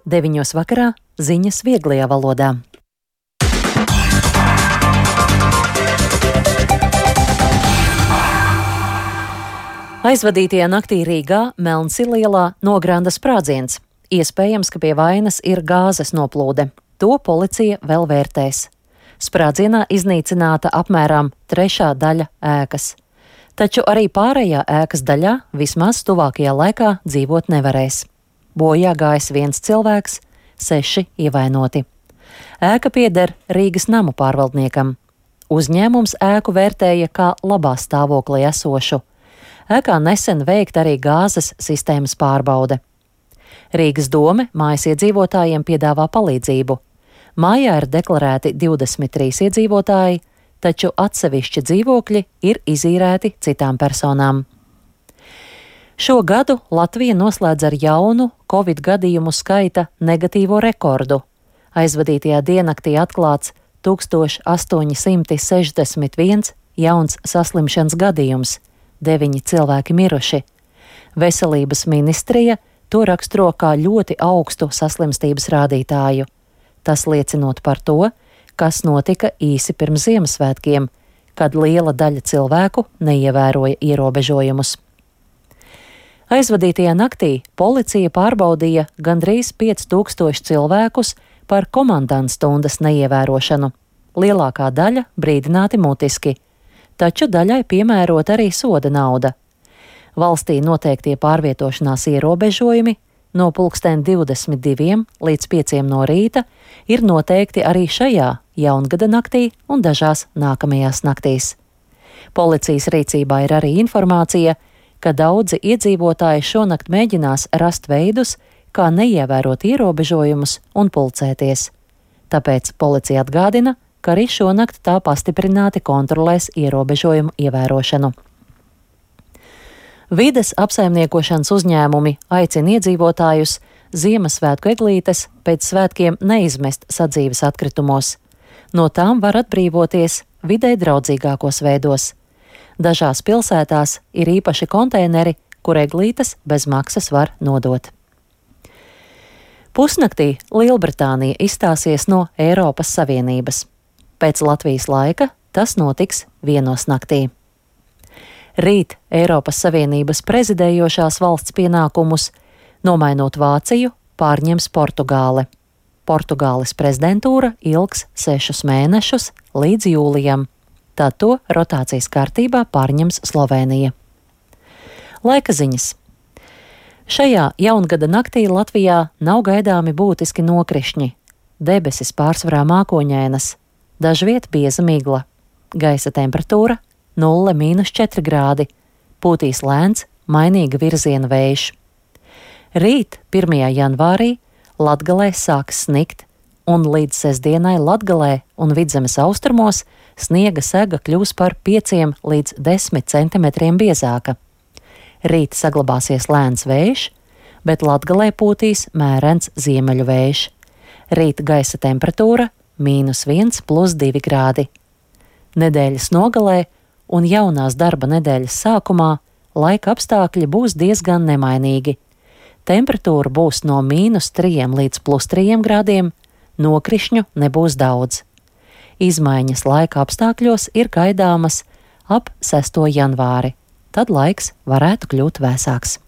9 vakarā ziņas vieglajā valodā. Aizvadītajā naktī Rīgā Melnsilielā nogranda sprādziens. Iespējams, ka pie vainas ir gāzes noplūde. To policija vēl vērtēs. Sprādzienā iznīcināta apmēram 1/3 daļa ēkas. Taču arī pārējā ēkas daļā vismaz tuvākajā laikā dzīvot nevarēs. Bojā gājis 1 cilvēks, 6 ievainoti. Ēka pieder Rīgas namu pārvaldniekam. Uzņēmums ēku vērtēja kā labā stāvoklī esošu. Ēkā nesen veikta arī gāzes sistēmas pārbaude. Rīgas dome mājas iedzīvotājiem piedāvā palīdzību. Mājā ir deklarēti 23 iedzīvotāji, taču atsevišķi dzīvokļi ir izīrēti citām personām. Šo gadu Latvija noslēdz ar jaunu Covid gadījumu skaita negatīvo rekordu. Aizvadītajā diennaktī atklāts 1861 jauns saslimšanas gadījums, 9 cilvēki miruši. Veselības ministrija to raksturo kā ļoti augstu saslimstības rādītāju. Tas liecinot par to, kas notika īsi pirms Ziemassvētkiem, kad liela daļa cilvēku neievēroja ierobežojumus. Aizvadītajā naktī policija pārbaudīja gandrīz 5000 cilvēkus par komandantstundas neievērošanu. Lielākā daļa brīdināti mutiski, taču daļai piemērot arī soda nauda. Valstī noteiktie pārvietošanās ierobežojumi no 22 līdz 5 no rīta ir noteikti arī šajā jaungada naktī un dažās nākamajās naktīs. Policijas rīcībā ir arī informācija, ka daudzi iedzīvotāji šonakt mēģinās rast veidus, kā neievērot ierobežojumus un pulcēties. Tāpēc policija atgādina, ka arī šonakt tā pastiprināti kontrolēs ierobežojumu ievērošanu. Vides apsaimniekošanas uzņēmumi aicina iedzīvotājus Ziemassvētku eglītes pēc svētkiem neizmest sadzīves atkritumos. No tām var atbrīvoties videi draudzīgākos veidos. Dažās pilsētās ir īpaši konteineri, kur eglītes bez maksas var nodot. Pusnaktī Lielbritānija izstāsies no Eiropas Savienības. Pēc Latvijas laika tas notiks 1 naktī. Rīt Eiropas Savienības prezidējošās valsts pienākumus, nomainot Vāciju, pārņems Portugāle. Portugāles prezidentūra ilgs 6 mēnešus līdz jūlijam. Tad to rotācijas kārtībā pārņems Slovēnija. Laika ziņas. Šajā jaungada naktī Latvijā nav gaidāmi būtiski nokrišņi. Debesis pārsvarā mākoņainas, dažviet bieza migla. Gaisa temperatūra 0–4 grādi, pūtīs lēns, mainīga virziena vējš. Rīt, 1. janvārī, Latgalē sāks snikt, un līdz sestdienai Latgalē un Vidzemes austrumos sniega sega kļūs par 5 līdz 10 centimetriem biezāka. Rīt saglabāsies lēns vējš, bet Latgalē pūtīs mērens ziemeļu vējš. Rīt gaisa temperatūra -1–2 grādi. Nedēļas nogalē un jaunās darba nedēļas sākumā laika apstākļi būs diezgan nemainīgi. Temperatūra būs no -3 līdz +3 grādiem, nokrišņu nebūs daudz. Izmaiņas laika apstākļos ir gaidāmas ap 6. janvāri, tad laiks varētu kļūt vēsāks.